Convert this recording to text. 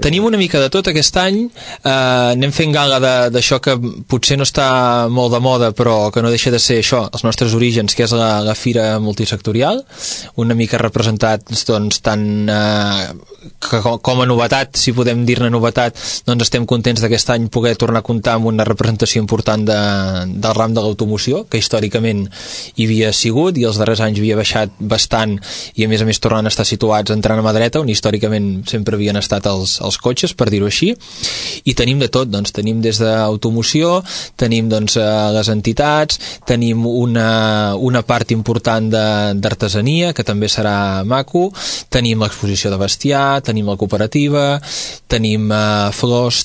Tenim una mica de tot aquest any, anem fent gala d'això que potser no està molt de moda, però que no deixa de ser això, els nostres orígens, que és la fira multisectorial, una mica representats doncs, tant com a novetat, si podem dir-ne novetat, doncs estem contents d'aquest any poder tornar a comptar amb una representació important del ram de l'automoció, que històricament hi havia sigut i els darrers anys havia baixat bastant i a més tornant a estar situats entrant a mà dreta, on històricament sempre havien estat els cotxes, per dir-ho així, i tenim de tot, doncs tenim des d'automoció, tenim doncs les entitats, tenim una part important d'artesania, que també serà maco, tenim l'exposició de bestiar, tenim la cooperativa, tenim flors,